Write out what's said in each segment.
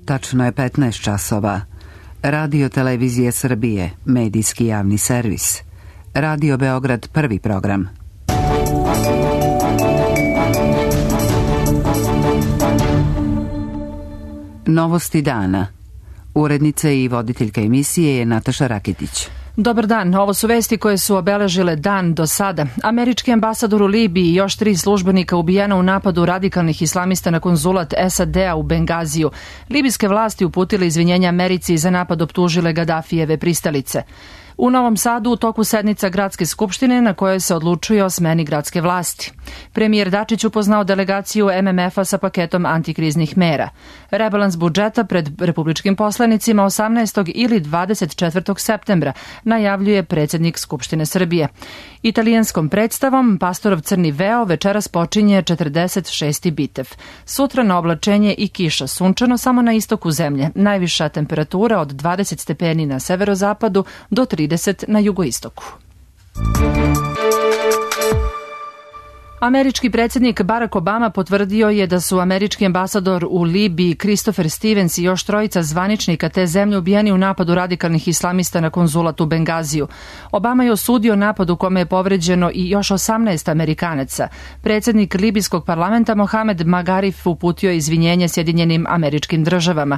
Tačno je 15 časova. Radio Televizije Srbije, medijski javni servis. Radio Beograd, prvi program. Novosti dana. Urednica i voditeljka emisije je Nataša Raketić. Dobar dan, ovo su vesti koje su obeležile dan do sada. Američki ambasador u Libiji i još 3 službenika ubijena u napadu radikalnih islamista na konzulat SAD-a u Bengaziju. Libijske vlasti uputile izvinjenja Americi i za napad optužile Gadafijeve pristalice. U Novom Sadu u toku sednica Gradske skupštine na kojoj se odlučuje o smeni gradske vlasti. Premijer Dačić upoznao delegaciju MMF-a sa paketom antikriznih mera. Rebalans budžeta pred republičkim poslanicima 18. ili 24. septembra najavljuje predsjednik Skupštine Srbije. Italijanskom predstavom Pastorov crni veo večeras počinje 46. bitev. Sutra na oblačenje i kiša, sunčano samo na istoku zemlje. Najviša temperatura od 20 stepeni na severozapadu do 30 na jugoistoku. Američki predsjednik Barack Obama potvrdio je da su američki ambasador u Libiji Christopher Stevens i još 3 zvaničnika te zemlje ubijeni u napadu radikalnih islamista na konzulat u Bengaziju. Obama je osudio napad u kome je povređeno i još 18 Amerikanaca. Predsjednik libijskog parlamenta Mohamed Magharif uputio izvinjenje Sjedinjenim Američkim Državama.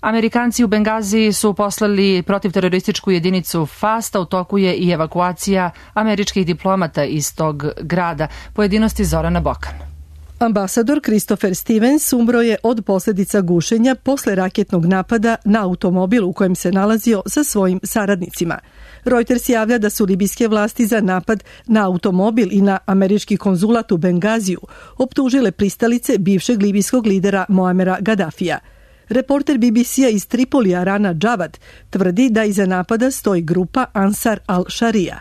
Amerikanci u Bengaziji su poslali protivterorističku jedinicu FAST, a u toku je i evakuacija američkih diplomata iz tog grada. Pojedinosti Zorana Bokan. Ambasador Christopher Stevens umro je od posljedica gušenja posle raketnog napada na automobil u kojem se nalazio sa svojim saradnicima. Reuters javlja da su libijske vlasti za napad na automobil i na američki konzulat u Bengaziju optužile pristalice bivšeg libijskog lidera Moamera Gadafija. Reporter BBC-a iz Tripolija Rana Džavad tvrdi da iza napada stoji grupa Ansar al-Sharia.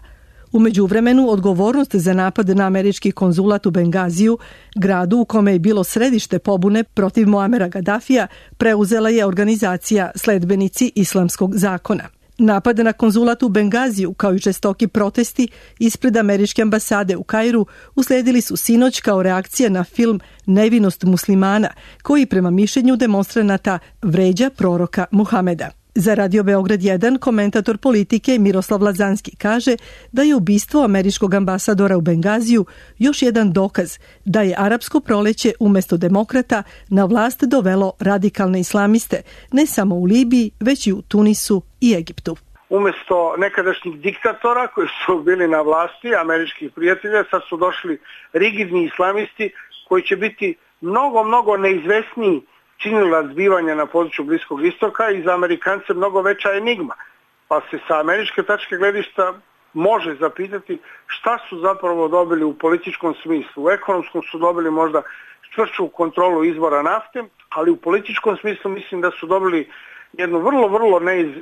U međuvremenu odgovornost za napad na američki konzulat u Bengaziju, gradu u kome je bilo središte pobune protiv Moamera Gadafija, preuzela je organizacija Sledbenici islamskog zakona. Napad na konzulat u Bengaziju, kao i žestoki protesti ispred američke ambasade u Kairu, usledili su sinoć kao reakcija na film Nevinost muslimana, koji prema mišljenju demonstranata vređa proroka Muhameda. Za Radio Beograd 1 komentator politike Miroslav Lazanski kaže da je ubistvo američkog ambasadora u Bengaziju još jedan dokaz da je arapsko proleće umjesto demokrata na vlast dovelo radikalne islamiste, ne samo u Libiji, već i u Tunisu i Egiptu. Umjesto nekadašnjih diktatora koji su bili na vlasti, američkih prijatelja, sad su došli rigidni islamisti koji će biti mnogo neizvesniji činilac zbivanja na području Bliskog istoka i za Amerikance mnogo veća enigma. Pa se sa američke tačke gledišta može zapitati šta su zapravo dobili u političkom smislu. U ekonomskom su dobili možda čvršću kontrolu izvora nafte, ali u političkom smislu mislim da su dobili jednu vrlo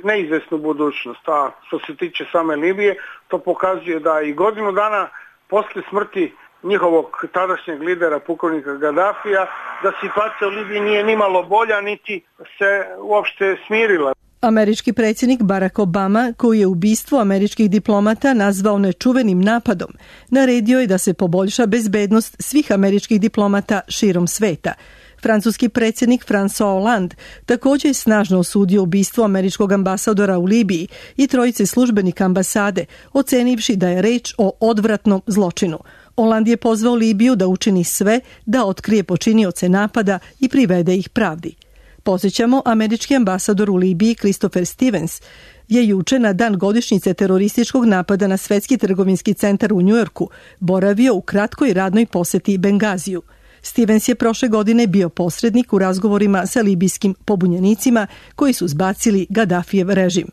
neizvesnu budućnost. A što se tiče same Libije, to pokazuje da i godinu dana posle smrti njihovog tadašnjeg lidera, pukovnika Gadafija, da situacija u Libiji nije nimalo bolja, niti se uopšte smirila. Američki predsjednik Barack Obama, koji je ubistvo američkih diplomata nazvao nečuvenim napadom, naredio je da se poboljša bezbednost svih američkih diplomata širom sveta. Francuski predsjednik François Hollande također je snažno osudio ubistvo američkog ambasadora u Libiji i 3 službenika ambasade, ocenivši da je reč o odvratnom zločinu. Hollande je pozvao Libiju da učini sve da otkrije počinioce napada i privede ih pravdi. Podsjećamo, američki ambasador u Libiji Christopher Stevens je juče na dan godišnjice terorističkog napada na Svetski trgovinski centar u Njujorku boravio u kratkoj radnoj posjeti Bengaziju. Stevens je prošle godine bio posrednik u razgovorima sa libijskim pobunjenicima koji su zbacili Gadafijev režim.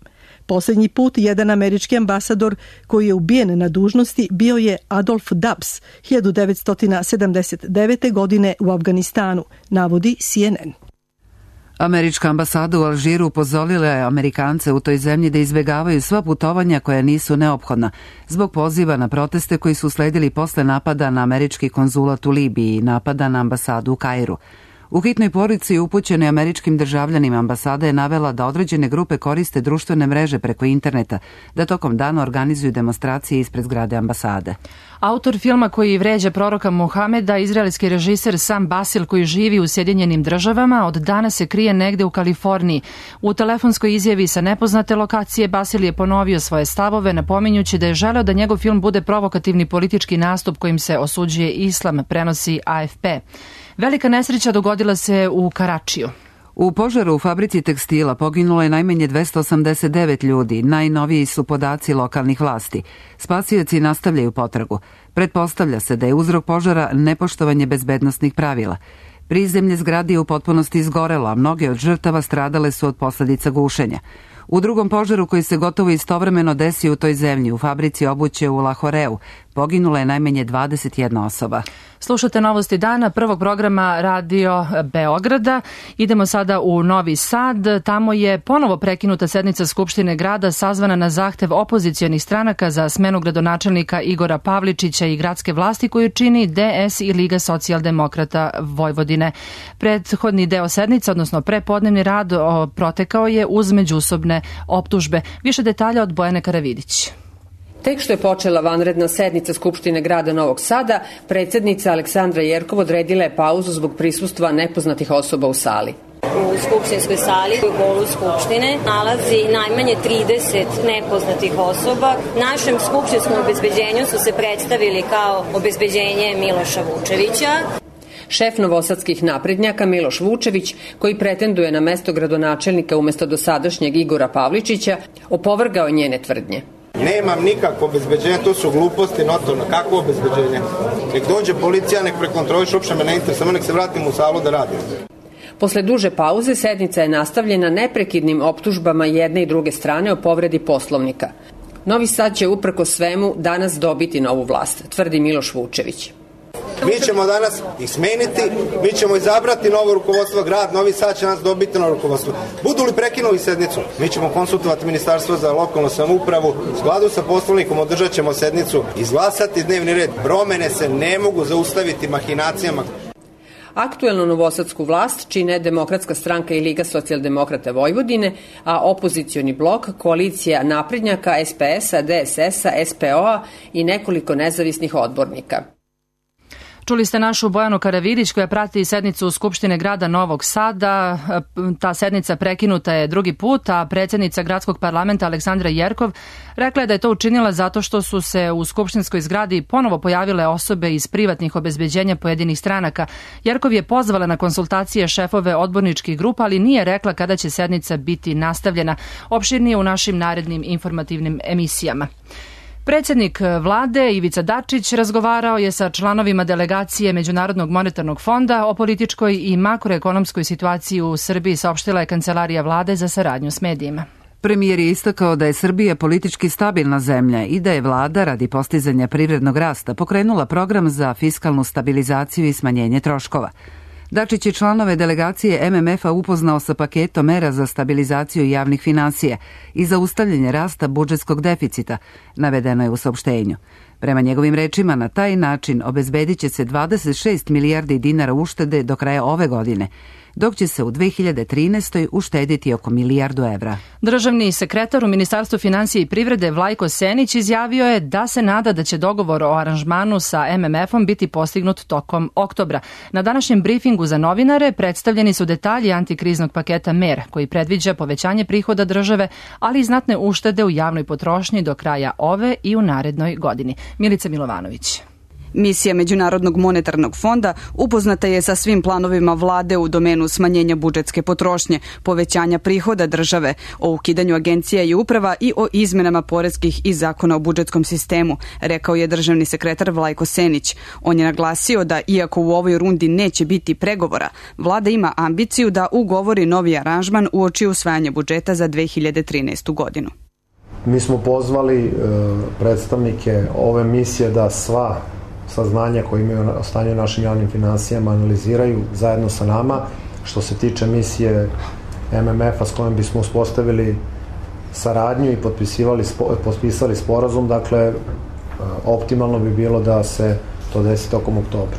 Posljednji put jedan američki ambasador koji je ubijen na dužnosti bio je Adolf Dubs 1979. godine u Afganistanu, navodi CNN. Američka ambasada u Alžiru upozorila je Amerikance u toj zemlji da izbjegavaju sva putovanja koja nisu neophodna zbog poziva na proteste koji su sledili posle napada na američki konzulat u Libiji i napada na ambasadu u Kairu. U hitnoj poruci upućenoj američkim državljanima ambasada je navela da određene grupe koriste društvene mreže preko interneta, da tokom dana organizuju demonstracije ispred zgrade ambasade. Autor filma koji vređa proroka Muhameda, izraelski režiser Sam Basil koji živi u Sjedinjenim Državama, od danas se krije negde u Kaliforniji. U telefonskoj izjavi sa nepoznate lokacije Basil je ponovio svoje stavove, napominjući da je želeo da njegov film bude provokativni politički nastup kojim se osuđuje islam, prenosi AFP. Velika nesreća dogodila se u Karačiju. U požaru u fabrici tekstila poginulo je najmanje 289 ljudi, najnoviji su podaci lokalnih vlasti. Spasioci nastavljaju potragu. Pretpostavlja se da je uzrok požara nepoštovanje bezbednosnih pravila. Prizemlje zgrade je u potpunosti izgorelo, a mnoge od žrtava stradale su od posledica gušenja. U drugom požaru koji se gotovo istovremeno desio u toj zemlji, u fabrici obuće u Lahoreu, poginula je najmanje 21 osoba. Slušate novosti dana prvog programa Radio Beograda. Idemo sada u Novi Sad. Tamo je ponovo prekinuta sednica Skupštine grada sazvana na zahtev opozicionih stranaka za smenu gradonačelnika Igora Pavličića i gradske vlasti koju čini DS i Liga socijaldemokrata Vojvodine. Prethodni deo sednice, odnosno prepodnevni rad, protekao je uz međusobne optužbe. Više detalja od Bojane Karavidić. Tek što je počela vanredna sednica Skupštine grada Novog Sada, predsjednica Aleksandra Jerkov odredila je pauzu zbog prisustva nepoznatih osoba u sali. U skupštinskoj sali u holu Skupštine nalazi najmanje 30 nepoznatih osoba. Našem skupštinskom obezbeđenju su se predstavili kao obezbeđenje Miloša Vučevića. Šef novosadskih naprednjaka Miloš Vučević, koji pretenduje na mesto gradonačelnika umesto dosadašnjeg Igora Pavličića, opovrgao je njene tvrdnje. Nemam nikakvo obezbeđenje, to su gluposti notorno. Kakvo obezbeđenje? Nek dođe policija, nek prekontroliš, uopšte me ne interesuje, samo nek se vratim u salu da radim. Posle duže pauze sednica je nastavljena neprekidnim optužbama jedne i druge strane o povredi Poslovnika. Novi Sad će uprkos svemu danas dobiti novu vlast, tvrdi Miloš Vučević. Mi ćemo danas ih smeniti, mi ćemo izabrati novo rukovodstvo grad, Novi Sad će nas dobiti novo rukovodstvo. Budu li prekinuli sednicu, mi ćemo konsultovati Ministarstvo za lokalnu samoupravu, u skladu sa Poslovnikom održat ćemo sednicu, izglasati dnevni red. Promene se ne mogu zaustaviti mahinacijama. Aktuelnu novosadsku vlast čine Demokratska stranka i Liga socijaldemokrata Vojvodine, a opozicioni blok, koalicija naprednjaka, SPS-a, DSS-a, SPO-a i nekoliko nezavisnih odbornika. Čuli ste našu Bojanu Karavidić koja prati sednicu Skupštine grada Novog Sada. Ta sednica prekinuta je drugi put, a predsjednica gradskog parlamenta Aleksandra Jerkov rekla je da je to učinila zato što su se u skupštinskoj zgradi ponovo pojavile osobe iz privatnih obezbeđenja pojedinih stranaka. Jerkov je pozvala na konsultacije šefove odborničkih grupa, ali nije rekla kada će sednica biti nastavljena. Opširnije u našim narednim informativnim emisijama. Predsjednik vlade Ivica Dačić razgovarao je sa članovima delegacije Međunarodnog monetarnog fonda o političkoj i makroekonomskoj situaciji u Srbiji, saopštila je Kancelarija vlade za saradnju s medijima. Premijer je istakao da je Srbija politički stabilna zemlja i da je vlada radi postizanja privrednog rasta pokrenula program za fiskalnu stabilizaciju i smanjenje troškova. Dačić je članove delegacije MMF-a upoznao sa paketom mera za stabilizaciju javnih finansija i zaustavljanje rasta budžetskog deficita, navedeno je u saopštenju. Prema njegovim rečima, na taj način obezbedit će se 26 milijardi dinara uštede do kraja ove godine, dok će se u 2013. uštediti oko milijardu evra. Državni sekretar u Ministarstvu finansija i privrede Vlajko Senić izjavio je da se nada da će dogovor o aranžmanu sa MMF-om biti postignut tokom oktobra. Na današnjem brifingu za novinare predstavljeni su detalji antikriznog paketa mera koji predviđa povećanje prihoda države, ali i znatne uštede u javnoj potrošnji do kraja ove i u narednoj godini. Milica Milovanović. Misija Međunarodnog monetarnog fonda upoznata je sa svim planovima vlade u domenu smanjenja budžetske potrošnje, povećanja prihoda države, o ukidanju agencija i uprava i o izmenama poreskih i zakona o budžetskom sistemu, rekao je državni sekretar Vlajko Senić. On je naglasio da iako u ovoj rundi neće biti pregovora, vlada ima ambiciju da ugovori novi aranžman uoči usvajanja budžeta za 2013. godinu. Mi smo pozvali predstavnike ove misije da sva saznanja koje imaju o stanju našim javnim finansijama analiziraju zajedno sa nama. Što se tiče misije MMF-a s kojom bismo uspostavili saradnju i potpisali sporazum, dakle optimalno bi bilo da se to desi tokom oktobra.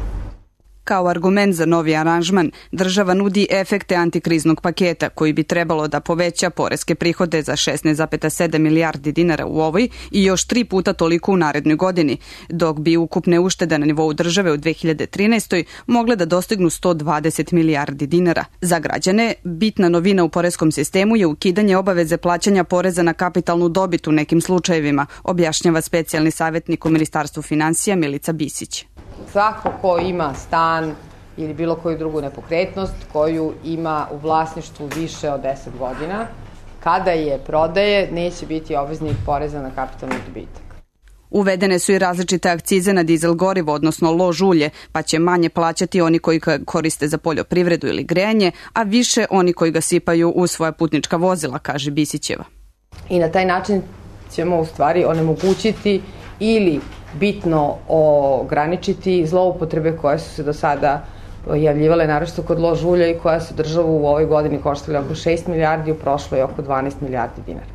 Kao argument za novi aranžman, država nudi efekte antikriznog paketa koji bi trebalo da poveća poreske prihode za 16,7 milijardi dinara u ovoj i još 3 puta toliko u narednoj godini, dok bi ukupne uštede na nivou države u 2013. mogle da dostignu 120 milijardi dinara. Za građane, bitna novina u poreskom sistemu je ukidanje obaveze plaćanja poreza na kapitalnu dobit u nekim slučajevima, objašnjava specijalni savjetnik u Ministarstvu finansija Milica Bisić. Svako ko ima stan ili bilo koju drugu nepokretnost koju ima u vlasništvu više od 10 godina, kada je prodaje, neće biti obveznik poreza na kapitalni dobitak. Uvedene su i različite akcize na dizel gorivo, odnosno lož ulje, pa će manje plaćati oni koji ga koriste za poljoprivredu ili grejanje, a više oni koji ga sipaju u svoja putnička vozila, kaže Bisićeva. I na taj način ćemo u stvari onemogućiti ili bitno ograničiti zloupotrebe koje su se do sada javljivale, naročito kod lož ulja i koja su državu u ovoj godini koštale oko 6 milijardi, u prošloj oko 12 milijardi dinara.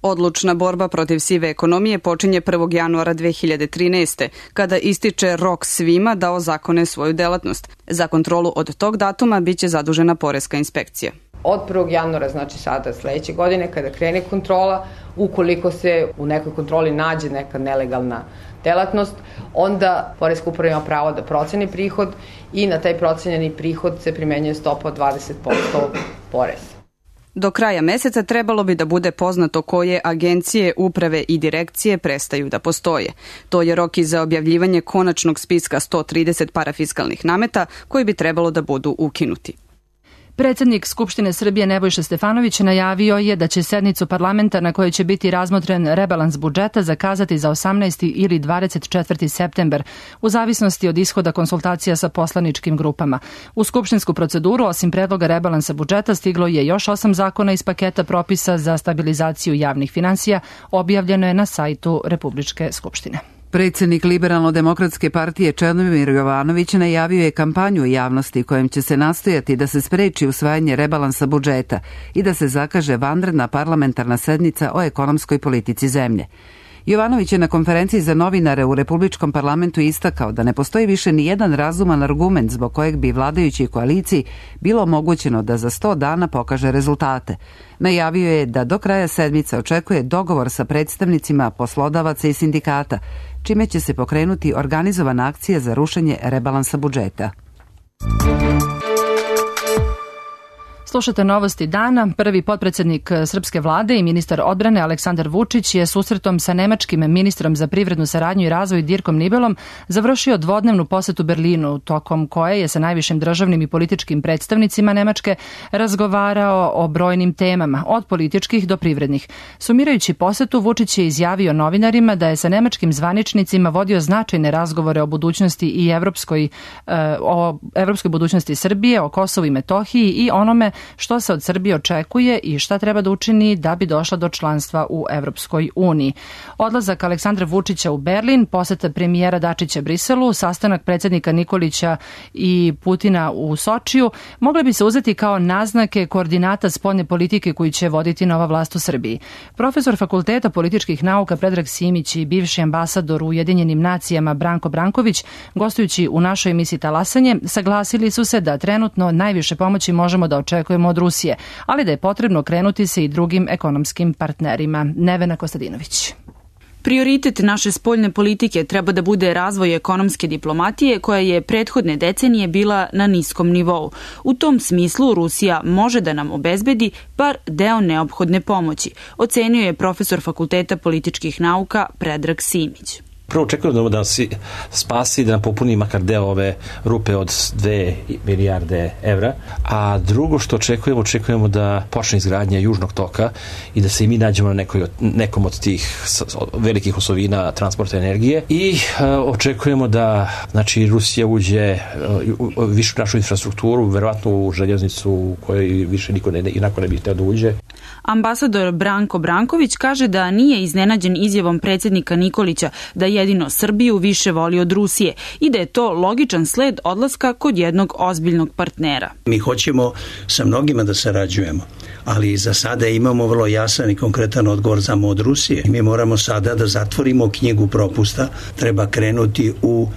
Odlučna borba protiv sive ekonomije počinje 1. januara 2013. kada ističe rok svima da ozakone svoju delatnost. Za kontrolu od tog datuma biće zadužena poreska inspekcija. Od 1. januara, znači sada sledeće godine, kada krene kontrola, ukoliko se u nekoj kontroli nađe neka nelegalna delatnost, onda poreska uprava ima pravo da proceni prihod i na taj procenjeni prihod se primenjuje stopa od 20% poreza. Do kraja meseca trebalo bi da bude poznato koje agencije, uprave i direkcije prestaju da postoje. To je rok i za objavljivanje konačnog spiska 130 parafiskalnih nameta koji bi trebalo da budu ukinuti. Predsednik Skupštine Srbije Nebojša Stefanović najavio je da će sednicu parlamenta na kojoj će biti razmotren rebalans budžeta zakazati za 18. ili 24. septembar, u zavisnosti od ishoda konsultacija sa poslaničkim grupama. U skupštinsku proceduru, osim predloga rebalansa budžeta, stiglo je još 8 zakona iz paketa propisa za stabilizaciju javnih finansija, objavljeno je na sajtu Republičke skupštine. Predsednik Liberalno-demokratske partije Čedomir Jovanović najavio je kampanju u javnosti kojom će se nastojati da se spreči usvajanje rebalansa budžeta i da se zakaže vanredna parlamentarna sednica o ekonomskoj politici zemlje. Jovanović je na konferenciji za novinare u Republičkom parlamentu istakao da ne postoji više ni jedan razuman argument zbog kojeg bi vladajućoj koaliciji bilo omogućeno da za 100 dana pokaže rezultate. Najavio je da do kraja sedmice očekuje dogovor sa predstavnicima poslodavaca i sindikata, čime će se pokrenuti organizovana akcija za rušenje rebalansa budžeta. Slušate novosti dana. Prvi potpredsednik srpske vlade i ministar odbrane Aleksandar Vučić je susretom sa nemačkim ministrom za privrednu saradnju i razvoj Dirkom Nibelom završio dvodnevnu posetu Berlinu, tokom koje je sa najvišim državnim i političkim predstavnicima Nemačke razgovarao o brojnim temama, od političkih do privrednih. Sumirajući posetu, Vučić je izjavio novinarima da je sa nemačkim zvaničnicima vodio značajne razgovore o budućnosti i evropskoj budućnosti Srbije, o Kosovu i Metohiji i onome što se od Srbije očekuje i šta treba da učini da bi došla do članstva u Evropskoj uniji. Odlazak Aleksandra Vučića u Berlin, poseta premijera Dačića Briselu, sastanak predsednika Nikolića i Putina u Sočiju mogle bi se uzeti kao naznake koordinata spoljne politike koju će voditi nova vlast u Srbiji. Profesor Fakulteta političkih nauka Predrag Simić i bivši ambasador u Ujedinjenim nacijama Branko Branković, gostujući u našoj emisiji Talasanje, saglasili su se da trenutno najviše pomoći možemo da očekujemo od Rusije, ali da je potrebno krenuti se i drugim ekonomskim partnerima. Nevena Kostadinović. Prioritet naše spoljne politike treba da bude razvoj ekonomske diplomatije koja je prethodne decenije bila na niskom nivou. U tom smislu Rusija može da nam obezbedi bar deo neophodne pomoći, ocenio je profesor Fakulteta političkih nauka Predrag Simić. Prvo očekujemo da nas spasi, da nam popuni makar deo ove rupe od 2 milijarde evra, a drugo što očekujemo da počne izgradnja Južnog toka i da se i mi nađemo na nekom od tih velikih osovina transporta energije i očekujemo da Rusija uđe u višu našu infrastrukturu, verovatno u željeznicu u kojoj više niko inako ne bi hteo da uđe. Ambasador Branko Branković kaže da nije iznenađen izjavom predsednika Nikolića da jedino Srbiju više voli od Rusije i da je to logičan sled odlaska kod jednog ozbiljnog partnera. Mi hoćemo sa mnogima da sarađujemo, ali za sada imamo vrlo jasan i konkretan odgovor samo od Rusije. Mi moramo sada da zatvorimo knjigu propusta, treba krenuti u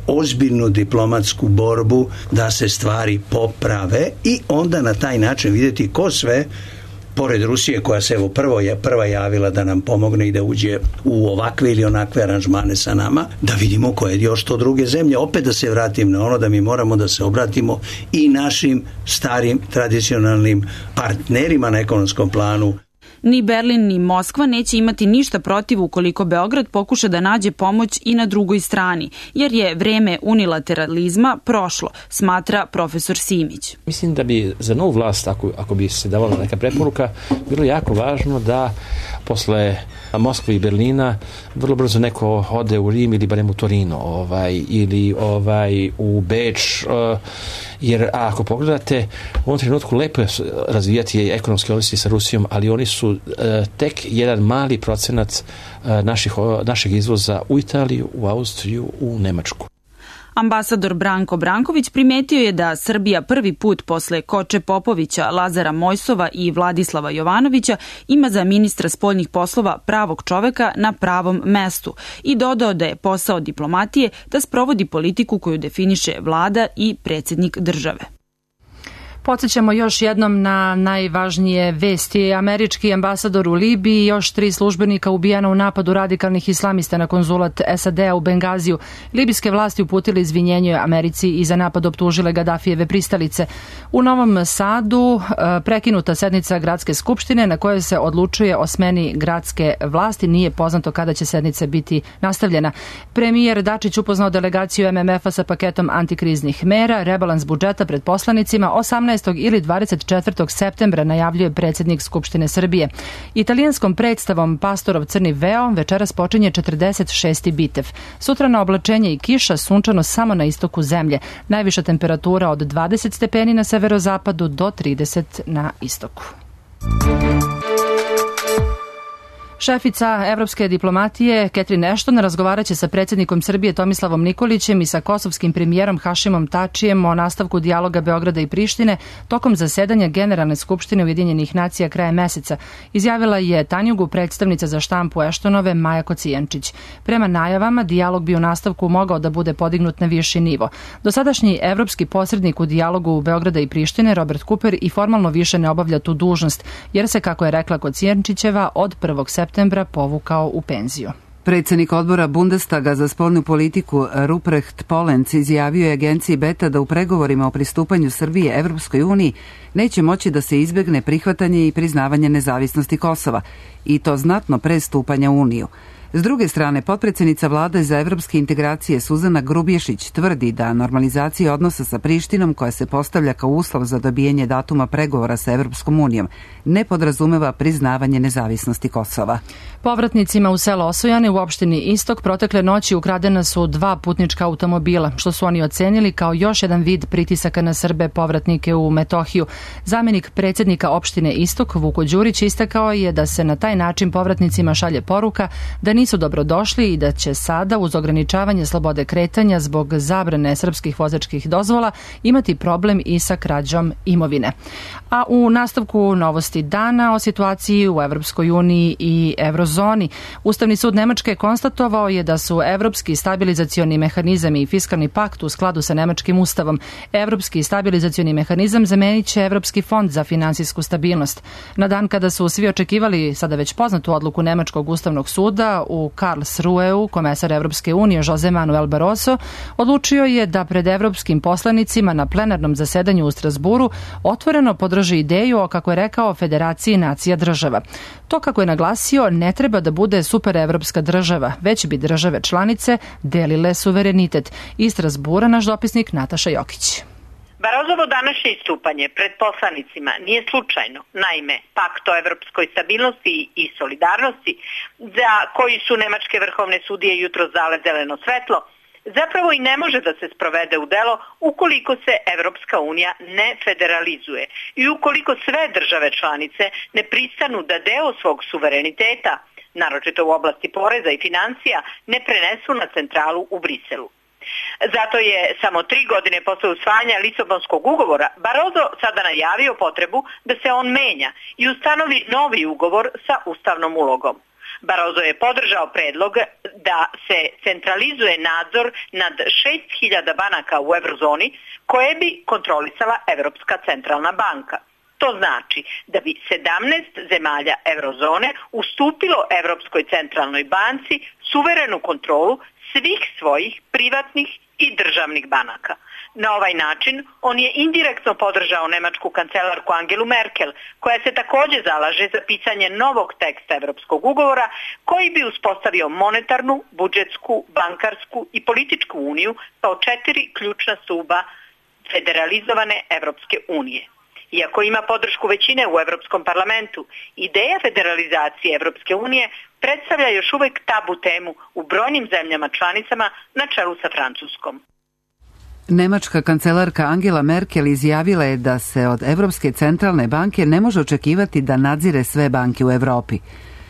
ozbiljnu diplomatsku borbu da se stvari poprave i onda na taj način vidjeti ko sve pored Rusije koja se prva javila da nam pomogne i da uđe u ovakve ili onakve aranžmane sa nama, da vidimo koje još to druge zemlje. Opet da se vratim na ono da mi moramo da se obratimo i našim starim tradicionalnim partnerima na ekonomskom planu. Ni Berlin ni Moskva neće imati ništa protiv ukoliko Beograd pokuša da nađe pomoć i na drugoj strani, jer je vreme unilateralizma prošlo, smatra profesor Simić. Mislim da bi za novu vlast, ako bi se davala neka preporuka, bilo jako važno da posle Moskve i Berlina vrlo brzo neko ode u Rim ili barem u Torino ili u Beč, jer ako pogledate u ovom trenutku lepo je razvijati ekonomske odnosi sa Rusijom, ali oni su tek jedan mali procenat našeg izvoza u Italiju, u Austriju, u Nemačku. Ambasador Branko Branković primetio je da Srbija prvi put posle Koče Popovića, Lazara Mojsova i Vladislava Jovanovića ima za ministra spoljnih poslova pravog čoveka na pravom mestu i dodao da je posao diplomatije da sprovodi politiku koju definiše vlada i predsjednik države. Podsjećamo još jednom na najvažnije vesti. Američki ambasador u Libiji i još 3 službenika ubijena u napadu radikalnih islamista na konzulat SAD-a u Bengaziju. Libijske vlasti uputile izvinjenje Americi i za napad optužile Gadafijeve pristalice. U Novom Sadu prekinuta sednica gradske skupštine na kojoj se odlučuje o smeni gradske vlasti. Nije poznato kada će sednica biti nastavljena. Premijer Dačić upoznao delegaciju MMF-a sa paketom antikriznih mera. Rebalans budžeta pred poslanicima 18. ili 24. septembra najavljuje predsjednik Skupštine Srbije. Italijanskom predstavom Pastorov crni veo večeras počinje 46. bitev. Sutra na oblačenje i kiša, sunčano samo na istoku zemlje. Najviša temperatura od 20 stepeni na severozapadu do 30 na istoku. Šefica evropske diplomatije Catherine Ashton razgovaraće sa predsjednikom Srbije Tomislavom Nikolićem i sa kosovskim premijerom Hašimom Tačijem o nastavku dijaloga Beograda i Prištine tokom zasedanja Generalne skupštine Ujedinjenih nacija krajem meseca, izjavila je Tanjugu predstavnica za štampu Ashtonove Maja Kocijančić. Prema najavama, dijalog bi u nastavku mogao da bude podignut na viši nivo. Dosadašnji evropski posrednik u dijalogu Beograda i Prištine, Robert Cooper, i formalno više ne obavlja tu dužnost, jer se, kako je rekla Kocijančićeva, od 1. septembra povukao u penziju. Predsjednik odbora Bundestaga za spoljnu politiku Ruprecht Polenz izjavio je agenciji Beta da u pregovorima o pristupanju Srbije Evropskoj uniji neće moći da se izbegne prihvatanje i priznavanje nezavisnosti Kosova, i to znatno pre stupanja u Uniju. S druge strane, potpredsjednica vlade za evropske integracije Suzana Grubješić tvrdi da normalizacija odnosa sa Prištinom, koja se postavlja kao uslov za dobijanje datuma pregovora sa Evropskom unijom, ne podrazumeva priznavanje nezavisnosti Kosova. Povratnicima u selo Osojane u opštini Istok protekle noći ukradena su 2 putnička automobila, što su oni ocenili kao još jedan vid pritisaka na Srbe povratnike u Metohiju. Zamenik predsjednika opštine Istok, Vuko Đurić, istakao je da se na taj način povratnicima šalje poruka da nisu dobrodošli i da će sada, uz ograničavanje slobode kretanja zbog zabrane srpskih vozačkih dozvola, imati problem i sa krađom imovine. A u nastavku novosti dana o situaciji u Evropskoj uniji i Eurozoni. Ustavni sud Nemačke konstatovao je da su Evropski stabilizacioni mehanizam i fiskalni pakt u skladu sa nemačkim ustavom. Evropski stabilizacioni mehanizam zamenit će Evropski fond za finansijsku stabilnost. Na dan kada su svi očekivali sada već poznatu odluku Nemačkog ustavnog suda, u Karlsruheu komesar Evropske unije Jose Manuel Barroso odlučio je da pred evropskim poslanicima na plenarnom zasedanju u Strasburu otvoreno podrži ideju o, kako je rekao, Federaciji nacija država. To, kako je naglasio, ne treba da bude superevropska država, već bi države članice delile suverenitet. Iz Strasbura naš dopisnik Nataša Jokić. Barozovo današnje istupanje pred poslanicima nije slučajno. Naime, pakt o evropskoj stabilnosti i solidarnosti, za koji su nemačke vrhovne sudije jutros dale zeleno svetlo, zapravo i ne može da se sprovede u delo ukoliko se Evropska unija ne federalizuje i ukoliko sve države članice ne pristanu da deo svog suvereniteta, naročito u oblasti poreza i financija, ne prenesu na centralu u Briselu. Zato je samo 3 godine posle usvajanja Lisabonskog ugovora Barroso sada najavio potrebu da se on menja i ustanovi novi ugovor sa ustavnom ulogom. Barroso je podržao predlog da se centralizuje nadzor nad 6.000 banaka u eurozoni koje bi kontrolisala Evropska centralna banka. To znači da bi 17 zemalja eurozone ustupilo Evropskoj centralnoj banci suverenu kontrolu svih svojih privatnih i državnih banaka. Na ovaj način on je indirektno podržao nemačku kancelarku Angelu Merkel, koja se također zalaže za pisanje novog teksta Evropskog ugovora koji bi uspostavio monetarnu, budžetsku, bankarsku i političku uniju kao 4 ključna stuba federalizovane Evropske unije. Iako ima podršku većine u Evropskom parlamentu, ideja federalizacije Evropske unije predstavlja još uvijek tabu temu u brojnim zemljama članicama na čelu sa Francuskom. Nemačka kancelarka Angela Merkel izjavila je da se od Evropske centralne banke ne može očekivati da nadzire sve banke u Evropi.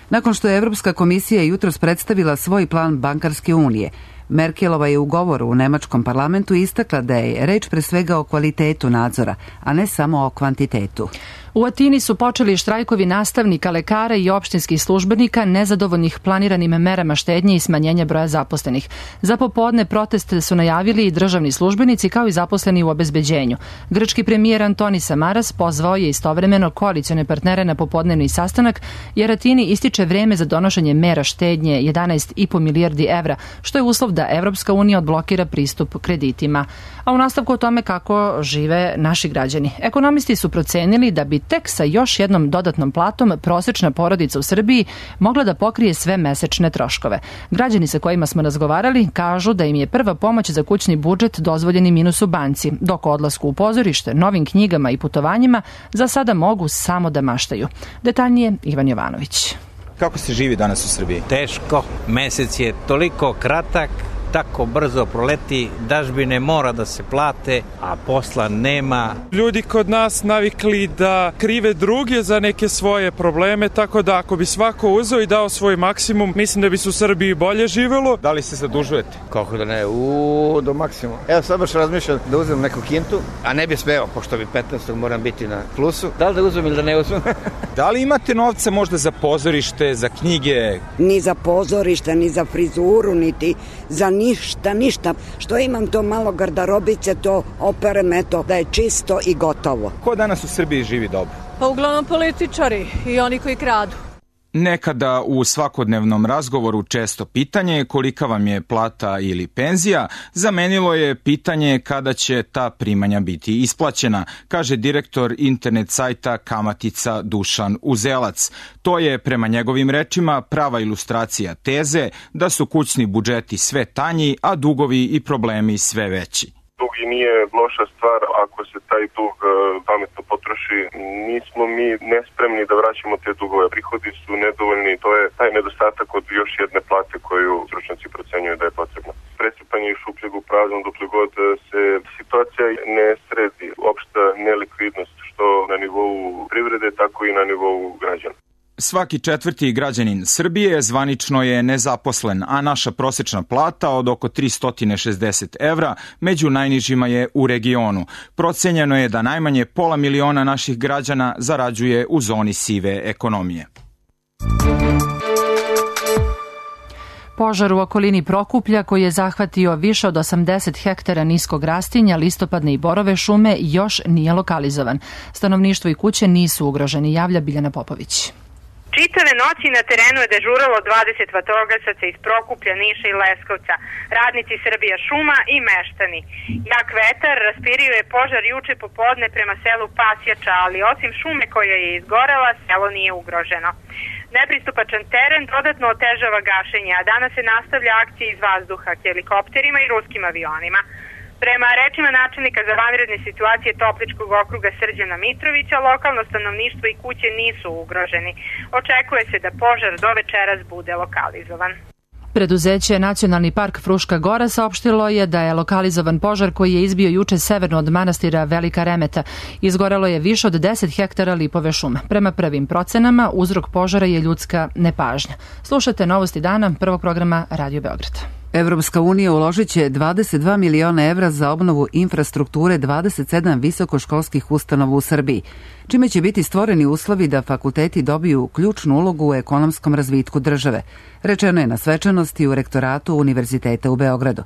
Nakon što je Evropska komisija jutros predstavila svoj plan bankarske unije, Merkelova je u govoru u nemačkom parlamentu istakla da je reč pre svega o kvalitetu nadzora, a ne samo o kvantitetu. U Atini su počeli štrajkovi nastavnika, lekara i opštinskih službenika nezadovoljnih planiranim merama štednje i smanjenja broja zaposlenih. Za popodne proteste su najavili i državni službenici kao i zaposleni u obezbeđenju. Grčki premijer Antonis Samaras pozvao je istovremeno koalicione partnere na popodnevni sastanak jer Atini ističe vreme za donošenje mera štednje 11,5 milijardi evra, što je uslov da Evropska unija odblokira pristup kreditima. A u nastavku o tome kako žive naši građani. Ekonomisti su procenili da bi tek sa još jednom dodatnom platom prosečna porodica u Srbiji mogla da pokrije sve mesečne troškove. Građani sa kojima smo razgovarali kažu da im je prva pomoć za kućni budžet dozvoljeni minus u banci, dok o odlasku u pozorište, novim knjigama i putovanjima za sada mogu samo da maštaju. Detaljnije Ivan Jovanović. Kako se živi danas u Srbiji? Teško, mesec je toliko kratak, tako brzo proleti, dažbine mora da se plate, a posla nema. Ljudi kod nas navikli da krive druge za neke svoje probleme, tako da ako bi svako uzeo i dao svoj maksimum, mislim da bi se u Srbiji bolje živelo. Da li se zadužujete? Kako da ne, do maksimuma. Evo sad baš razmišljam da uzem neku kintu, a ne bi smeo, pošto bi 15. moram biti na plusu. Da li da uzmem ili da ne uzmem? Da li imate novca možda za pozorište, za knjige? Ni za pozorište, ni za frizuru, niti za ništa. Što imam to malo garderobice, to operem, eto, da je čisto i gotovo. Ko danas u Srbiji živi dobro? Pa uglavnom političari i oni koji kradu. Nekada u svakodnevnom razgovoru često pitanje kolika vam je plata ili penzija zamenilo je pitanje kada će ta primanja biti isplaćena, kaže direktor internet sajta Kamatica Dušan Uzelac. To je prema njegovim rečima prava ilustracija teze da su kućni budžeti sve tanji, a dugovi i problemi sve veći. Dug i nije loša stvar ako se taj dug pametno potroši. Nismo mi nespremni da vraćamo te dugove. Prihodi su nedovoljni, to je taj nedostatak od još jedne plate koju stručnjaci procenjuju da je potrebno. Presipanje iz šupljeg u prazno dokle god se situacija ne sredi. Opšta nelikvidnost što na nivou privrede, tako i na nivou građana. Svaki četvrti građanin Srbije zvanično je nezaposlen, a naša prosečna plata od oko 360 evra među najnižima je u regionu. Procenjeno je da najmanje 500.000 naših građana zarađuje u zoni sive ekonomije. Požar u okolini Prokuplja koji je zahvatio više od 80 hektara niskog rastinja, listopadne i borove šume još nije lokalizovan. Stanovništvo i kuće nisu ugroženi, javlja Biljana Popović. Čitave noći na terenu je dežuralo 20 vatrogasaca iz Prokuplja, Niša i Leskovca, radnici Srbija šuma i meštani. Jak vetar raspirio je požar juče popodne prema selu Pasjača, ali osim šume koja je izgorela, selo nije ugroženo. Nepristupačan teren dodatno otežava gašenje, a danas se nastavlja akcija iz vazduha, helikopterima i ruskim avionima. Prema rečima načelnika za vanredne situacije Topličkog okruga Srđana Mitrovića, lokalno stanovništvo i kuće nisu ugroženi. Očekuje se da požar do večeras bude lokalizovan. Preduzeće Nacionalni park Fruška Gora saopštilo je da je lokalizovan požar koji je izbio juče severno od manastira Velika Remeta. Izgorelo je više od 10 hektara lipove šume. Prema prvim procenama, uzrok požara je ljudska nepažnja. Slušate Novosti dana, prvog programa Radio Beograd. Evropska unija uložit će 22 miliona evra za obnovu infrastrukture 27 visokoškolskih ustanova u Srbiji, čime će biti stvoreni uslovi da fakulteti dobiju ključnu ulogu u ekonomskom razvitku države, rečeno je na svečanosti u rektoratu Univerziteta u Beogradu.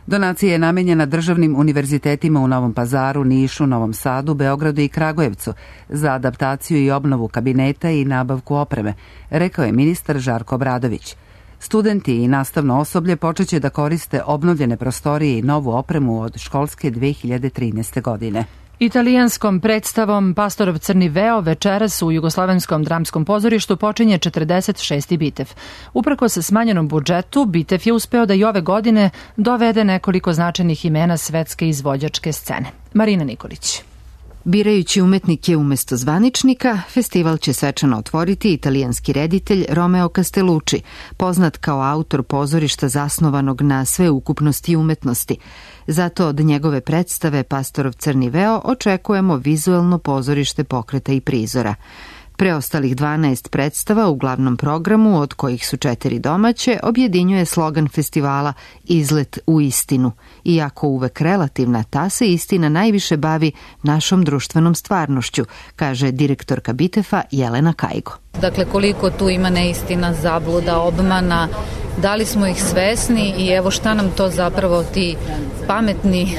Donacija je namenjena državnim univerzitetima u Novom Pazaru, Nišu, Novom Sadu, Beogradu i Kragujevcu za adaptaciju i obnovu kabineta i nabavku opreme, rekao je ministar Žarko Obradović. Studenti i nastavno osoblje počeće da koriste obnovljene prostorije i novu opremu od školske 2013. godine. Italijanskom predstavom Pastorov crni veo večeras u Jugoslovenskom dramskom pozorištu počinje 46. Bitev. Uprko sa smanjenom budžetu, Bitev je uspeo da i ove godine dovede nekoliko značajnih imena svetske izvođačke scene. Marina Nikolić. Birajući umetnike umesto zvaničnika, festival će svečano otvoriti italijanski reditelj Romeo Castellucci, poznat kao autor pozorišta zasnovanog na sveukupnosti umetnosti. Zato od njegove predstave Pastorov crni veo očekujemo vizuelno pozorište pokreta i prizora. Preostalih 12 predstava u glavnom programu, od kojih su 4 domaće, objedinjuje slogan festivala Izlet u istinu. Iako uvek relativna, ta se istina najviše bavi našom društvenom stvarnošću, kaže direktorka Bitefa Jelena Kajgo. Dakle, koliko tu ima neistina, zabluda, obmana, da li smo ih svesni i evo šta nam to zapravo ti pametni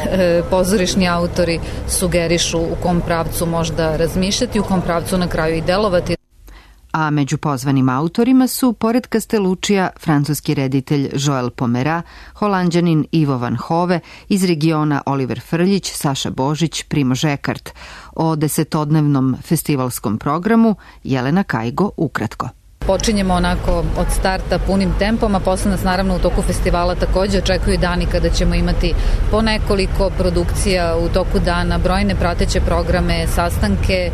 pozorišni autori sugerišu u kom pravcu možda razmišljati, u kom pravcu na kraju i delovati. A među pozvanim autorima su, pored Castelluccija, francuski reditelj Joel Pomera, holanđanin Ivo van Hove, iz regiona Oliver Frljić, Saša Božić, Primož Ekart. O 10-dnevnom festivalskom programu Jelena Kajgo ukratko. Počinjemo onako od starta punim tempom, a posle nas naravno u toku festivala takođe očekuju dani kada ćemo imati po nekoliko produkcija u toku dana, brojne prateće programe, sastanke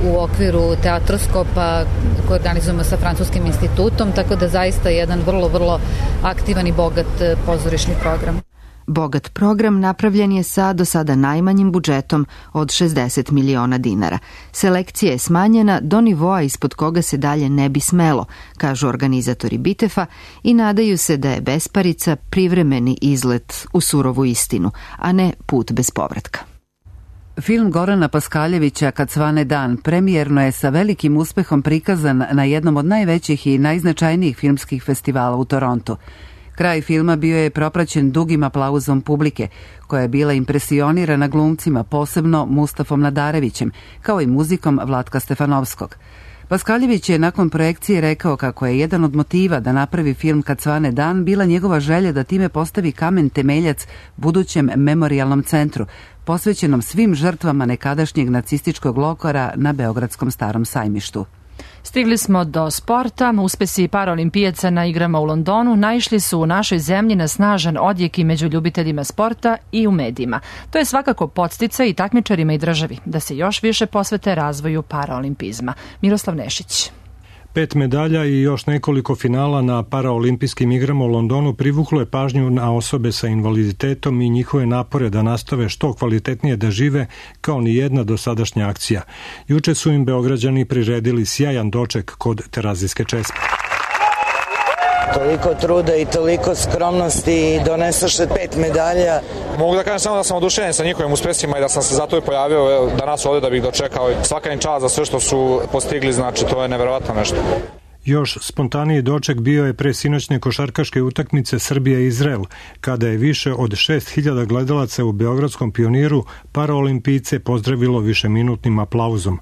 u okviru teatroskopa koje organizujemo sa Francuskim institutom, tako da zaista jedan vrlo, vrlo aktivan i bogat pozorišni program. Bogat program napravljen je sa do sada najmanjim budžetom od 60 miliona dinara. Selekcija je smanjena do nivoa ispod koga se dalje ne bi smelo, kažu organizatori Bitefa, i nadaju se da je besparica privremeni izlet u surovu istinu, a ne put bez povratka. Film Gorana Paskaljevića Kad svane dan premijerno je sa velikim uspehom prikazan na jednom od najvećih i najznačajnijih filmskih festivala u Torontu. Kraj filma bio je propraćen dugim aplauzom publike, koja je bila impresionirana glumcima, posebno Mustafom Nadarevićem, kao i muzikom Vlatka Stefanovskog. Paskaljević je nakon projekcije rekao kako je jedan od motiva da napravi film Kad svane dan bila njegova želja da time postavi kamen temeljac budućem memorijalnom centru, posvećenom svim žrtvama nekadašnjeg nacističkog logora na Beogradskom Starom sajmištu. Stigli smo do sporta. Uspesi paraolimpijaca na igrama u Londonu naišli su u našoj zemlji na snažan odjek i među ljubiteljima sporta i u medijima. To je svakako podsticaj i takmičarima i državi da se još više posvete razvoju paraolimpizma. Miroslav Nešić. 5 medalja i još nekoliko finala na paraolimpijskim igrama u Londonu privuklo je pažnju na osobe sa invaliditetom i njihove napore da nastave što kvalitetnije da žive kao ni jedna dosadašnja akcija. Juče su im Beograđani priredili sjajan doček kod Terazijske česme. Toliko truda i toliko skromnosti i donesaše 5 medalja. Mogu da kažem samo da sam oduševljen sa njihovim uspesima i da sam se zato i pojavio danas ovde da bih dočekao. Svaka im čast za sve što su postigli, znači to je neverovatno nešto. Još spontaniji doček bio je pre sinoćne košarkaške utakmice Srbija-Izrael, kada je više od 6.000 gledalaca u Beogradskom Pioniru paraolimpijce pozdravilo višeminutnim aplauzom.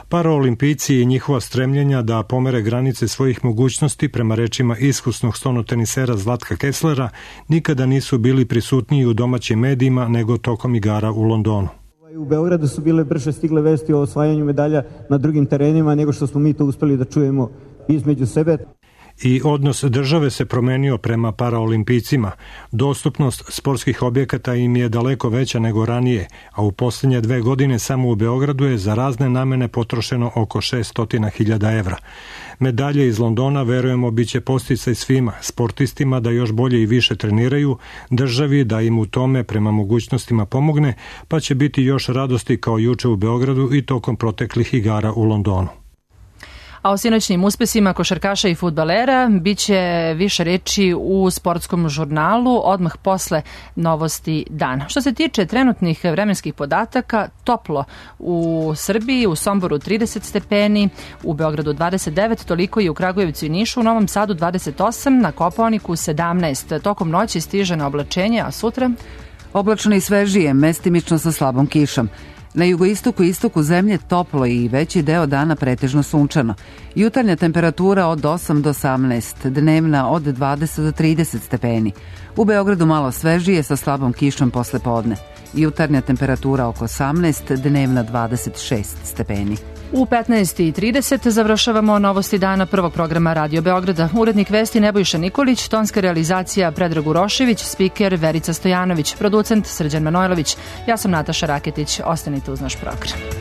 Paraolimpijci i njihova stremljenja da pomere granice svojih mogućnosti, prema rečima iskusnog stonotenisera Zlatka Kesslera, nikada nisu bili prisutniji u domaćim medijima nego tokom igara u Londonu. U Beogradu su bile brže stigle vesti o osvajanju medalja na drugim terenima nego što smo mi to uspeli da čujemo između sebe. I odnos države se promenio prema paraolimpijcima. Dostupnost sportskih objekata im je daleko veća nego ranije, a u posljednje 2 godine samo u Beogradu je za razne namene potrošeno oko 600.000 evra. Medalje iz Londona, verujemo, bit će podsticaj svima, sportistima da još bolje i više treniraju, državi da im u tome prema mogućnostima pomogne, pa će biti još radosti kao juče u Beogradu i tokom proteklih igara u Londonu. A o sinoćnim uspesima košarkaša i fudbalera biće više reči u sportskom žurnalu odmah posle novosti dana. Što se tiče trenutnih vremenskih podataka, toplo u Srbiji, u Somboru 30 stepeni, u Beogradu 29, toliko i u Kragujevcu i Nišu, u Novom Sadu 28, na Kopaoniku 17. Tokom noći stiže na oblačenje, a sutra? Oblačno i svežije, mestimično sa slabom kišom. Na jugoistoku i istoku zemlje toplo i veći deo dana pretežno sunčano. Jutarnja temperatura od 8 do 18, dnevna od 20 do 30 stepeni. U Beogradu malo svežije sa slabom kišom posle podne. Jutarnja temperatura oko 18, dnevna 26 stepeni. U 15:30 završavamo novosti dana prvog programa Radio Beograda. Urednik vesti Nebojša Nikolić, tonska realizacija Predrag Urošević, spiker Verica Stojanović, producent Srđan Manojlović. Ja sam Nataša Raketić. Ostanite uz naš program.